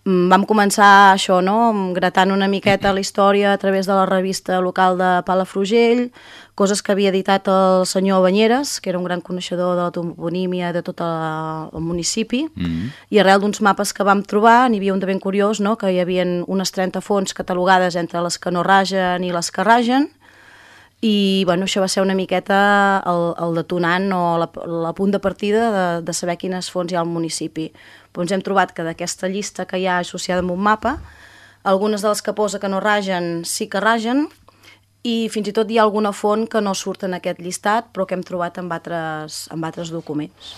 Vam començar això, no?, gratant una miqueta la història a través de la revista local de Palafrugell, coses que havia editat el senyor Banyeres, que era un gran coneixedor de la toponímia de tot el municipi, i arrel d'uns mapes que vam trobar, n'hi havia un de ben curiós, no?, que hi havia unes 30 fonts catalogades entre les que no ragen i les que ragen, i bueno, això va ser una miqueta el detonant o la punt de partida de saber quines fonts hi ha al municipi. Però ens hem trobat que d'aquesta llista que hi ha associada amb un mapa, algunes de les que posa que no ragen sí que ragen, i fins i tot hi ha alguna font que no surt en aquest llistat però que hem trobat en altres documents.